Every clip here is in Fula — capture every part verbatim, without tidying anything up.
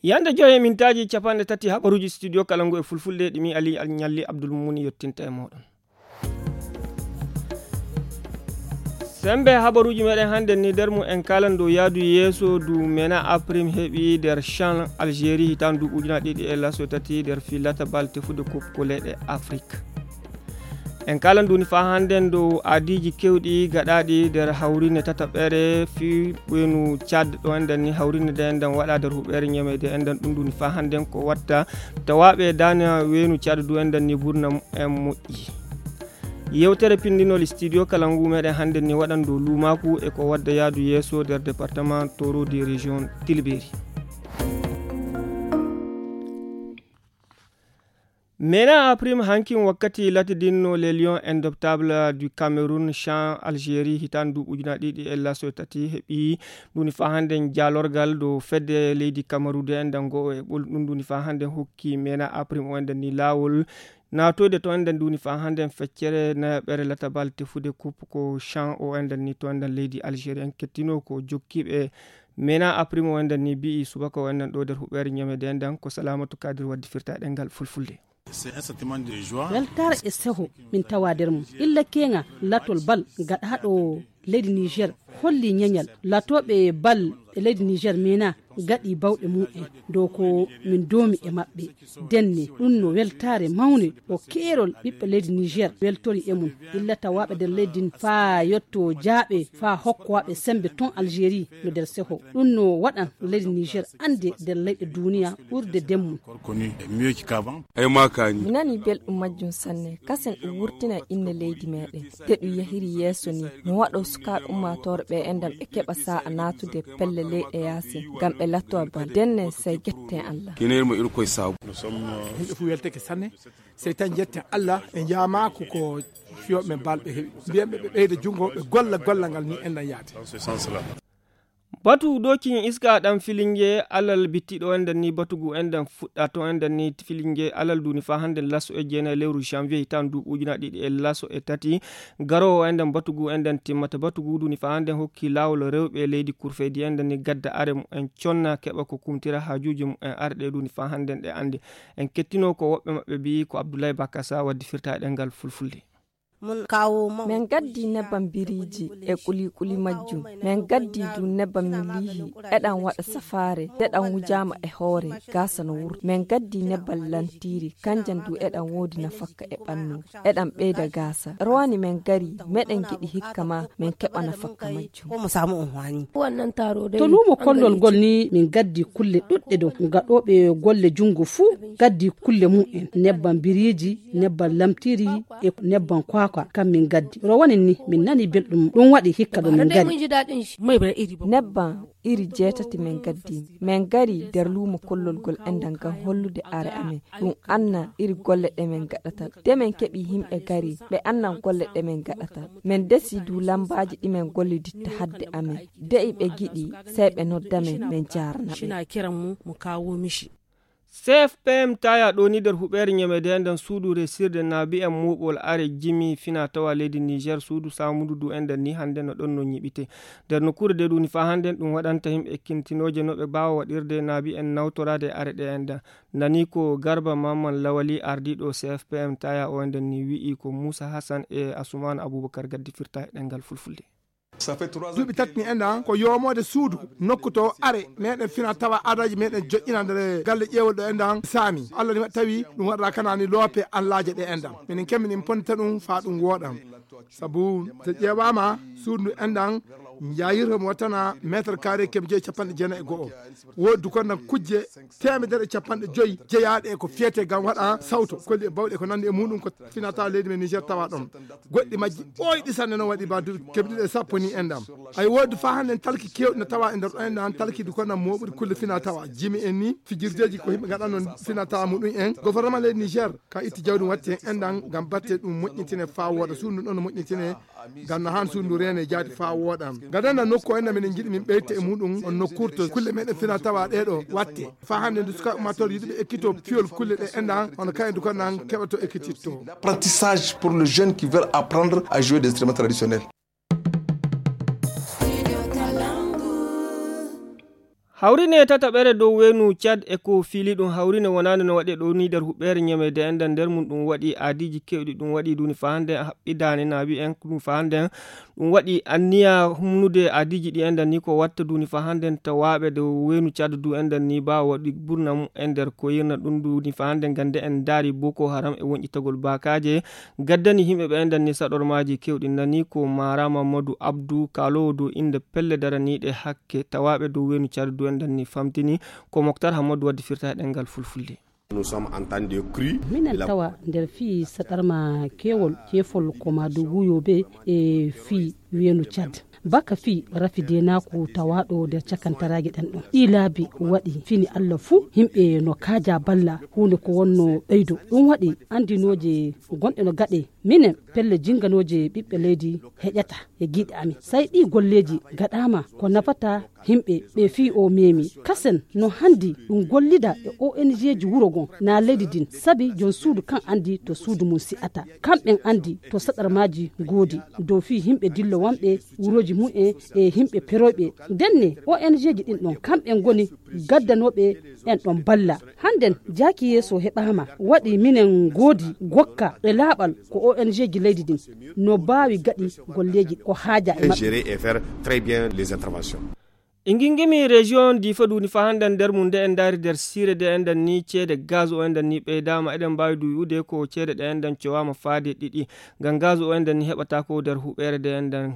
Yande joye mintaaji capanɗe tati habaruuji studio kala ngu e fulfulde ɗi mi Ali Al Ñalli Abdul Mumuni yottinta e mooɗon. Sembe habaruuji meɗen hannde ni nder mu en kalan dow yaadu yeeso du mena aprim heɓi nder chan Algérie hitan du ujuna ɗiɗi e laso tati nder filata bal tefude coupe ko leyɗe Afrique. En kalan duni fa hannden dow aadiiji keewɗi gaɗaaɗi nder hawrine tataɓere fii ɓeynu Tchad ɗo enɗen ni hawrine nde enɗen waɗa nder huɓeere ñameede enɗen ɗum duni fa hannden ko watta tawaaɓe daana weynu Tchad du enɗen ni burna en moƴƴi. Yewtere pinndinol studio kala ngu meɗen hannden ni waɗan dow luumaaku e ko wadda yaadu yeeso nder département Toro de région Tilberi. Mena aprim hankin wakkati latidinno les lions indomptables du Cameroun chan Algérie hitan du ujuna ɗiɗi e laso tati heɓi duni fa hannden jaalorgal dow fedde leydi Kamaru de enɗen go e ɓol ɗum duni fa hannden hokki mena aprim o enɗen ni laawol naatoyde to enɗen duni fa hannden feccere nayaɓere latabal tefude coupe ko chan o enɗen ni to enɗen leydi Algérie en kettino ko jokkiiɓe mena aprim o enɗen ni bi'i subaka o enɗen ɗo nder huɓeere ñamede enɗen ko Salamatu Kadir waddi firta ɗengal fulfulde. Weltaare e seho min tawa nder mum. Illa keŋa latol bal gaɗaaɗo leydi Niger holli ñeñal. Latooɓe bal e leydi Niger mena gaɗi bawɗe mumen dow ko min doomi e maɓɓe. Denne ɗum no weltaare mawne o keerol ɓiɓɓe leydi Niger weltori e mum. Illa tawaaɓe nder leydi ndin faa yotto jaaɓe faa hokkowaaɓe sembe ton Algérie no nder seho. Ɗum no waɗan leydi Niger annde nder leyɗe duniya ɓurde demmum. Ay makani. Mi nani belɗum majjum sanne. Kasen ɗum wurtina inne leydi meɗen. Te ɗum yahiri yeeso ni. Mi waɗo sukaaɓe ummaatoore ɓe enɗam ɓe keɓa sa'a naatude pelle leyɗe yaasi. Ngam ɓe lattowa bal. Denne sey jetten Allah. Kinirmo irkoy sabu. Yimɓe fof welteke sanne. Sey tan jetten Allah ɓe njaamaako ko fiyooɓe men bal ɓe heɓi. Mbiyen ɓe ɓe ɓeyda junngo ɓe golla golla ngal ni enɗam yaade. Batu dokin iska ɗan filinge alal bittiɗo enɗan ni batugu enɗan fuɗɗa to enɗan ni filinge alal duni fa hannden laso e jeenay lewru janvier hitan du ujuna ɗiɗi e laso e tati. Garowo enɗan batugu enɗan timmata batugu duni fa hannden hokki laawol rewɓe leydi kurfeydi enɗan ni gadda are mu en conna keɓa ko kumtira haajuuji mu en arɗe duni fa hannden ɗe annde. En kettino ko woɓɓe maɓɓe mbiyi ko Abdoulaye Bakasa waddi firta e ɗengal fulfulde. Min gaddi nebbam biriiji e kulikuli majjum. Min gaddi du nebbam milihi eɗan waɗa safaare deɗan wujaama e hoore gasa no wurta. Min gaddi nebbam lantiri kanjan du eɗan woodi nafakka e ɓannu eɗan ɓeyda gasa. Rowani min gari meɗen giɗi hikka ma min keɓa nafakka majjum. To luumo kollol ngol ni min gaddi kulle ɗuɗɗe dow gaɗooɓe golle junngo fuu gaddi kulle mum en nebbam biriiji nebbam lamtiri e nebbam kwakwa kam min gaddi rowani ni min nani belɗum ɗum waɗi hikka ɗo min gari. Nebbam iri jeetati min gaddi min gari nder luumo kollol ngol enɗan ngam hollude are amen ɗum anna iri golle ɗe min gaɗata de min keɓi himɓe gari ɓe annan golle ɗe min gaɗata. Min desi du lambaaji ɗi min golliditta hadde amen. De'i ɓe giɗi sey ɓe nodda men min jaarana ɓe. C F P M taya ɗo ni nder huɓeere ñamede enɗan suudu resirde naabi en muɓol are jimi fina tawa leydi Niger suudu samudu du enɗan ni hannde no ɗon no ñiɓite nder nokkuure de duni fa hannden ɗum waɗanta yimɓe kintinooje no ɓe mbaawa waɗirde naabi en nawtoraade are ɗe enɗan. Nani ko Garba Mamman Lawali ardiiɗo C F P M taya o enɗan ni wi'i ko Moussa Hassan e Assoumane Aboubacar gaddi firta e ɗengal fulfulde. Duuɓi tati ni enɗan ko yoomoode suudu nokku to are meɗen fina tawa aadaaji meɗen joƴƴina nder galle ƴeewol ɗo enɗan saami Allah ni tawi ɗum waɗata kanani loope anlaaje ɗe enɗan minen kemmi min ponnita ɗum faa ɗum wooɗan. Sabu so ƴeewaama suudu ndu enɗan njayirta mo wattana mètre carré keme joyi capanɗe jeenayi e go'o. Woodi du konnan kujje teemedere e capanɗe joyi jeyaaɗe e ko fiyete ngam waɗa sawto kolli e bawɗe ko nanndi e muɗum ko fina tawa leydi men Niger tawa ɗon. Goɗɗi majji ɓooyɗi sanne noon waɗi ba duuɓi keme ɗiɗi e sappo ni enɗan. Ay woodi fa hannden talki keewɗi no tawa e nder ɗo enɗan talki du konnan mooɓuɗi kulle fina tawa jimi en ni fijirdeeji ko yimɓe ngaɗa noon fina tawa muɗum en gouvernement leydi Niger ka itti jawdi watti heen enɗan ngam batte ɗum moƴƴintine faa wooɗa suudu ɗon no moƴƴintine ngam no haan suudu reene jaadi faa wooɗa. Gadana nokku o enɗan minen njiɗi min ɓeyte e muɗum on nokkuure to kulle meɗen fina tawa ɗeɗo watte faa hannde ndu suka ummatore yiɗuɓe ekkito fiyol kulle ɗe enɗan hono kayen du konnan keɓato ekkititto. Apprentissage pour le jeune qui veut apprendre à jouer des instruments traditionnels. Hawrine tataɓere dow weenu Cad e ko fiili ɗum hawrine wonaande no waɗi e ɗo ni nder huɓɓeere ñameede enɗan nder mum ɗum waɗi aadiiji keewɗi ɗum waɗi duuni faa hannden haɓɓidaani naabi en ɗum faa hannden ɗum waɗi anniya humnude aadiiji ɗi enɗan ni ko watta duuni faa hannden tawaaɓe dow weenu Cad du enɗan ni baa waɗi burna mum en nder ko yirna ɗum duuni faa hannden gannde en ndaari Boko Haram e wonƴitagol baakaaje gaddani yimɓe ɓe enɗan ni saɗormaaji keewɗi nani ko Mara Mamadou Abdou kaaloowo dow innde pelle daraniiɗe hakke tawaaɓe dow weenu Cad du enɗan ni famtini ko Moktar Hammadou waddi firta e ɗemngal fulfulde. Minen tawa nder fii saɗarma keewol ceefol ko maa dow wuyooɓe e fii weenu Cad. Baka fii rafi deenaaku tawaaɗo nder cakantaraaji ɗen ɗon. Ɗii laabi waɗi fini Alla fuu yimɓe no kaaja balla huunde ko wonno ɓeydo. Ɗum waɗi anndinooje gonɗe no gaɗe minen pelle jinnganooje ɓiɓɓe leydi heƴata e giiɗe amin. Say ɗii golleeji gaɗaama ko nafata yimɓe ɓe fii o meemi. Kasen no hanndi ɗum gollida e O N G ji wuro ngon naa leydi ndin sabi jom suudu kan anndi to suudu mum si'ata. Kamɓen anndi to saɗarmaaji ngoodi dow fii yimɓe dillowanɓe wurooji mum en e yimɓe peroyɓe. Ndenne O N G ji ɗin ɗon kamɓen ngoni gaddanooɓe en ɗon balla. Hannden jaaki yeeso heɓaama waɗi minen ngoodi gokka e laaɓal ko O N G ji leydi ndin no baawi gaɗi golleeji ko haaja e maɓɓe. E ngingimi région difa duuni fa hannden nder mum nde en ndaari nder siire de enɗen ni ceede gaz o enɗen ni ɓeydaama eɗen mbaawi du wi'ude ko ceede ɗe enɗen cowaama faade ɗiɗi ngam gaz o enɗen ni heɓata ko nder huɓeere de enɗen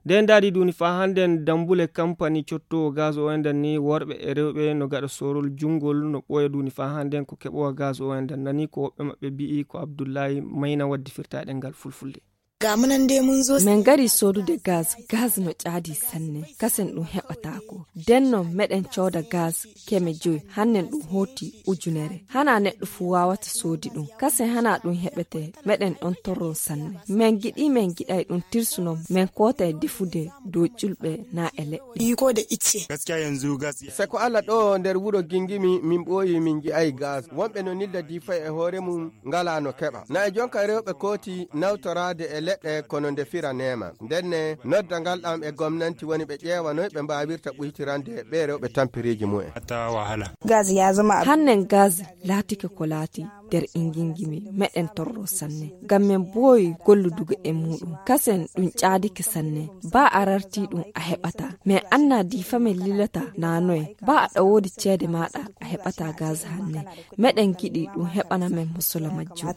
nde ndaari duuni fa hannden dambule kampani cottowo gaz o enɗen ni worɓe e rewɓe no gaɗa sorol junngol no ɓooya duuni fa hannden ko keɓowa gaz o enɗen nani ko woɓɓe maɓɓe mbi'i ko abdullahi mayna waddi firta ɗemngal fulfulde. Ga munan dai mun zo. Min ngari sodude gaz. Gaz no caadi sanne, kasen ɗum heɓataako. Den non meɗen cooda gaz keme joy, hannen ɗum hooti ujunere. Hana neɗɗo fuu waawata soodi ɗum, kasen hana ɗum heɓete. Meɗen ɗon torro sanne. Min giɗi min giɗay ɗum tirsuno min kootay defude dow ƴulɓe na e leɗɗe. Iko da icce. Gaskiya yanzu gas. Seko ala ɗo nder wuro gingimi min ɓooyi min ngi'ay gas. Wonɓe no nilda difa e hoore mum ngala no keɓa. Na e jonka rewɓe kooti nawtoraade e leɗɗe kono nde fira neema. Ndenne nodda ngal ɗam e gomnanti woni ɓe ƴeewa noy ɓe mbaawirta ɓuytirande ɓe rewɓe tampiriiji mumen. Hatta wahala. Gaz ya zama abu. Hannen gaz laatike ko laati nder ingingimi meɗen torro sanne. Ngam men booyi golludugo e muɗum. Kasen ɗum caadike sanne. Ba a rarti ɗum a heɓata. Men anna difa men lilata na noye. Ba aɗa woodi ceede maɗa a heɓata gaz hanne. Meɗen giɗi ɗum heɓana men musola majjum.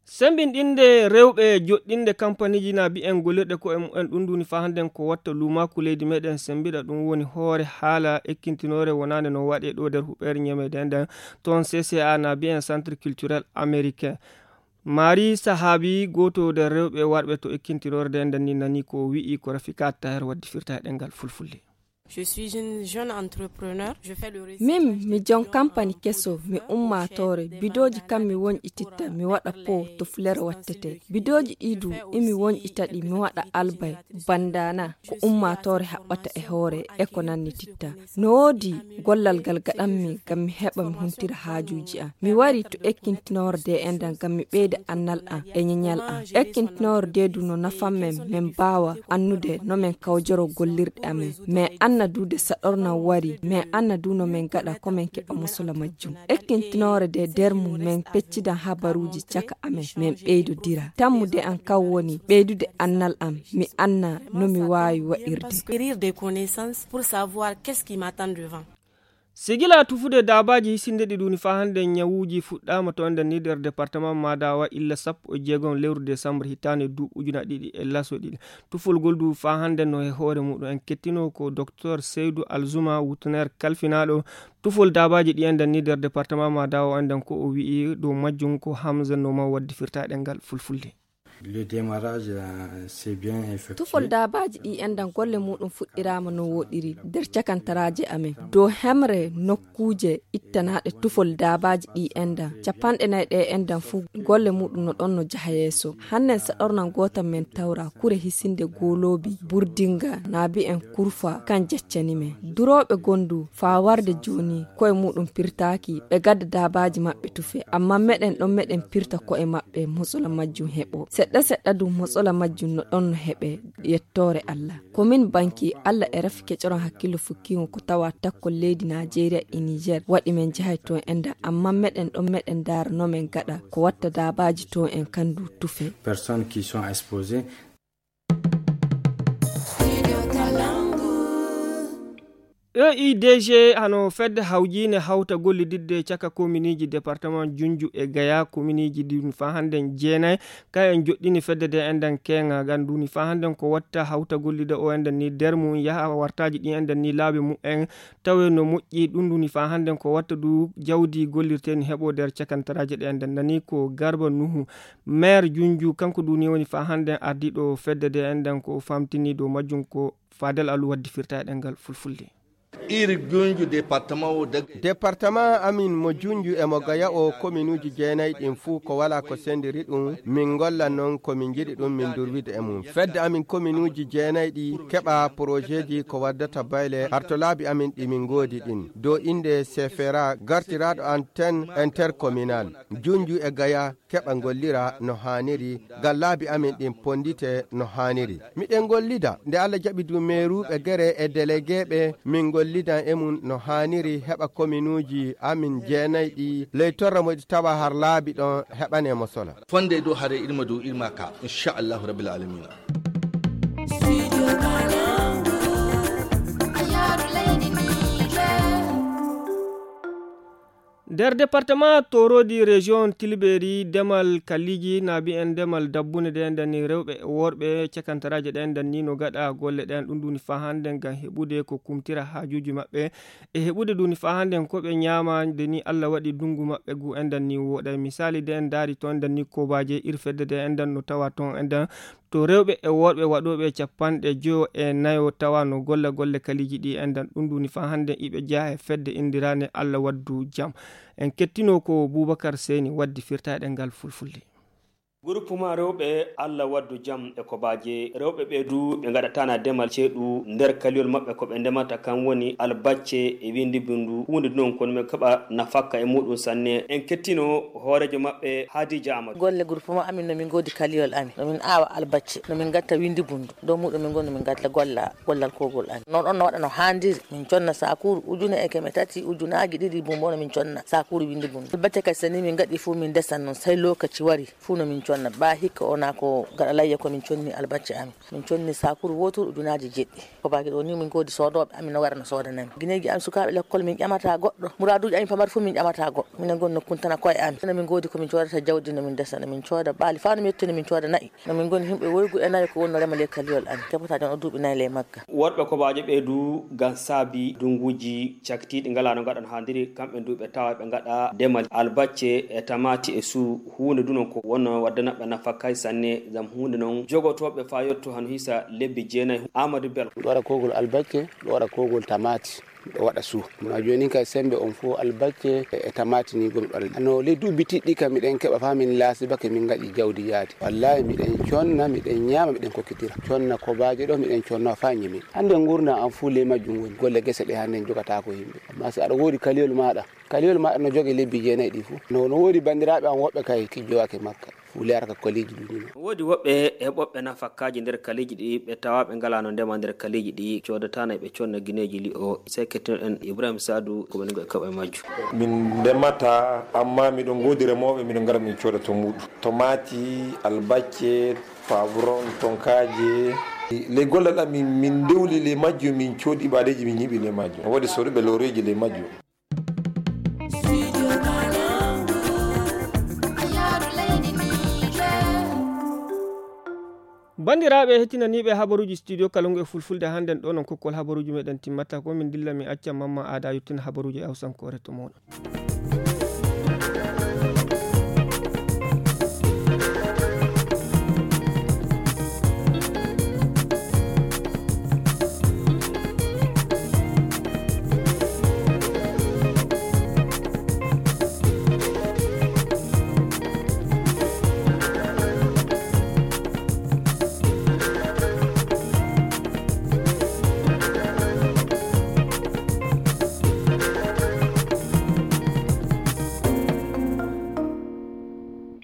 Sembinɗinde rewɓe joɗɗinde kampaniiji na mbi'en gollirɗe ko'e mumen ɗum nduni fa hannden ko watta luumaaku leydi meɗen sembiɗa ɗum woni hoore haala ekkintinoore wonaande no waɗe ɗo nder huɓeere ñameede nden toon C C A na mbi'en centre culturel américain. Maari sahaabi gooto nder rewɓe warɓe to ekkintinoore nden nden ni nani ko wi'i ko Rafika Taher waddi firta e ɗemngal fulfulde. Je suis une jeune entrepreneur. Je fais le réseau. Min mi jon kampani keso mi ummaatoore bidooji kam mi wonƴititta mi waɗa po to fulere wattete bidooji ɗi du imi wonƴita ɗi mi waɗa albay bandana ko ummaatoore haɓɓata e hoore e ko nannititta. No woodi gollal ngal gaɗanmi ngam mi heɓa mi huntira haajuuji am. Mi wari to ekkintinorde e ndal ngam mi ɓeyda annal am e ñeñal am. Ekkintinorde du no nafan men, men mbaawa annude no men kawjoro gollirɗe amen. Men anna du de saɗornam wari, men anna du no men gaɗa ko men keɓa mosola majjum. Ekkintinore de nder mum men peccidan habaruuji caka amen, men ɓeydodira. Tammude am kan woni ɓeydude annal am, mi anna no mi waawi waɗirde. Acquérir des connaissances pour savoir qu'est-ce qui m'attend devant. Sigila tufude daabaaji hisinde ɗi ɗuni faa hannde ñawuuji fuɗɗaama to nder ni nder département Madawa illa sappo e jeegom lewru décembre hitaande duuɓi ujuna ɗiɗi e laso ɗiɗi. Tufol ngol du faa hannde no he hoore muɗum en kettino ko Docteur Seydou Alzuma Wutner kalfinaaɗo tufol daabaaji ɗi enden ni nder département Madawa enden ko o wi'i dow majjum ko Hamza Noma waddi firta ɗemngal fulfulde. Le démarrage, euh, c'est bien effectué. Tufol daabaaji ɗi enɗan golle muɗum fuɗɗiraama no wooɗiri nder cakantaraaje amen. Dow hemre nokkuuje ittanaaɗe tufol daabaaji ɗi enɗan, capanɗe nayi ɗe enɗan fuu golle muɗum no ɗon no jaha yeeso. Hannen saɗornan gootan men tawra kure hisinde gooloobi, burdinga, naabi en kurfa, kan jaccani men. Durooɓe gondu faa warde jooni koye muɗum pirtaaki, ɓe gadda daabaaji maɓɓe tufe, ammaa meɗen ɗon meɗen pirta ko'e maɓɓe, mosola majjum heɓo. Se Seɗɗa seɗɗa dum motsola majjum no ɗon no heɓe yettoore Allah. Ko min banki Allah e rafi kecoron hakkillo fukkiŋo ko tawa takkol leydi Naajeeriya e Niger waɗi men jahay toon en da, amma meɗen ɗon meɗen ndaara no men gaɗa ko watta daabaaji toon en kandu tufe. Personnes qui sont exposées. E I D G hano fedde hawjiinde hawta gollididde caka kominiji departement Junju e Gaya, kominiji ɗin faa hannden jeenay, kayen joɗɗini fedde de enɗan keeŋa ngan duni faa hannden ko watta hawta gollida o enɗan ni der mum yaha wartaaji ɗin enɗan ni laabi mum en tawe no moƴƴi. Ɗum duni faa hannden ko watta du jawdi gollirteeni heɓo der cakantaraaji ɗe enɗan nani ko Garba Nuhu, maire Junju, kanko duni woni faa hannden ardiiɗo fedde de enɗan ko famtini dow majjum ko Fadel Alu waddi firta e ɗemngal fulfulde. Iri Junju département o daga. Département amin mo Junju e mo Gaya o kominuuji jeenay ɗin fuu ko walaa ko sendiri ɗum, min ngolla non ko min njiɗi ɗum, min durwida e mum. Fedde amin kominuuji jeenay ɗi keɓa porojeeji ko waddata bayle har to laabi amin ɗi min ngoodi ɗin. Dow innde C F R A gartiraaɗo antenne intercommunal, Junju e Gaya keɓa ngollira no haaniri, ngam laabi amin ɗin ponndite no haaniri. Miɗen ngollida, nde Allah jaɓi du meeruuɓe gere e delegeeɓe, min ngollidan e mum no haaniri, heɓa kominuuji amin jeenay ɗi ley torra mo ɗi tawa har laabi ɗon heɓane mo sola. Fonde dow hare irma dow irma ka, inchallahu rabbil alamina. Nder departement Torodi, région Tilberi, demal kaliji na mbiyen demal dabbune ɗen danni rewɓe e worɓe cakantaraaje ɗen danni no gaɗa golle ɗen. Ɗum duni faa hannde ngam heɓude ko kumtira haajuuji maɓɓe e heɓude duni faa hannde ko ɓe ñaama. Nde ni Allah waɗi dungu maɓɓe gu en danni wooɗa. Misali de en daari toon danni kobaje irfedde de en dan no tawa toon en dan to rewɓe e worɓe waɗooɓe capanɗe joyo e nayo tawa no golla golle kaliji ɗi enɗan. Ɗum duni faa hannde iɓe jeya e fedde indirande Allah waddu jam. En kettino ko Bubakar Seyni waddi firta e ɗemngal fulfulde. Groupement rewɓe Allah waddu jam e kobaje rewɓe ɓe du ɓe ngaɗatana demal ceeɗu nder kaliyol maɓɓe ko ɓe ndemata kan woni albacce e windi bindu huunde non kono ɓe keɓa nafakka e muɗum sanne. En kettino hooreejo maɓɓe Hadija Amadou. Golle groupement amin no min ngoodi kaliyol amin, no min aawa albacce, no min ngatta windi bundu, dow muɗum min ngoni min ngatta golla gollal kogol amin. Non ɗon no waɗa no haandiri, min conna sakuuru ujune e keme tati, ujunaaji ɗiɗi bumbo no min conna sakuuru windi bundu. Albacce kadi so ni min ngaɗi fuu min ndesan non, sey lokaci wari fuu no min conna. Ba hikka o na ko gaɗa layya ko min conni albacce amin. Min conni sakuuru wooturu ujunaaji jeɗɗi. Ko baaki ɗo ni min ngoodi soodooɓe amin no wara no soodanami. Gineeji amin sukaaɓe lekkol min ƴamata goɗɗo. Muraaduuji amin pamari fof min ƴamata goɗɗo. Minen ngoni no kuntana koye amin. Minen min ngoodi ko min coodata jawdi no min ndesa, no min cooda baali faa no mi yetti no min cooda na'i. No min ngoni himɓe woygu e nayo ko woni no rema ley kaliyol amin. Keɓata jon o duuɓi nayi ley magga. Worɓe kobaajo ɓe du ngam saabi dunguuji caktiiɗi ngalaa no ngaɗan haandiri kamɓe du ɓe tawa ɓe ngaɗa demal albacce e tamaati e suu. Huunde du non ko wonno waddana ɓe nafakka sanne ngam huunde non jogotooɓe faa yotto hano hisa lebbi jeenayi. Amadou Bello. Miɗo waɗa kogol albacce, miɗo waɗa kogol tamaati, miɗo waɗa suu. Ma jooni kay sembe on fof albacce e tamaati ni gomi ɗon. No ley duuɓi tiɗɗi kam miɗen keɓa faa min laasi bake min ngaɗi jawdi yaadi. Wallahi miɗen conna, miɗen ñaama, miɗen kokkitira. Conna kobaaje ɗo miɗen conna faa ñimi. Hannde ngurndan am fuu ley majjum woni. Golle gese ɗe hannde en jogataako yimɓe. Amma si aɗa woodi kaliyol maaɗa, kaliyol maaɗa no jogii lebbi jeenayi ɗi fuu. No, no woodi banndiraaɓe am woɓɓe kay kijjowake makka. Fuu leyara ka kaliiji ɗi ɗum. Woodi woɓɓe heɓoɓe nafakkaaji nder kaliiji ɗi ɓe tawa ɓe ngalaa no ndema nder kaliiji ɗi coodataano ɓe conna gineeji li'o. Sey kettinoɗen Ibrahim Sadu ko woni e koɓe majjum. Min ndemata, amma miɗo ngoodi remooɓe, miɗo ngara min cooda to muuɗum. Tomaati, albacce, pavron, tonkaaje. Ley gollal am, min, min ndewli ley majjum, min coodi ibadeeji, min ñiiɓi ley majjum. Woodi soruɓe looreeji ley majjum. Banndiraaɓe hettinaniiɓe habaruuji studio Kalungu e Fulfulde, hannden ɗo non kokkol habaruuji meɗen timmata ko min dilla min acca Mamma Aada yottina habaruuji e Hawsankoore to mooɗon.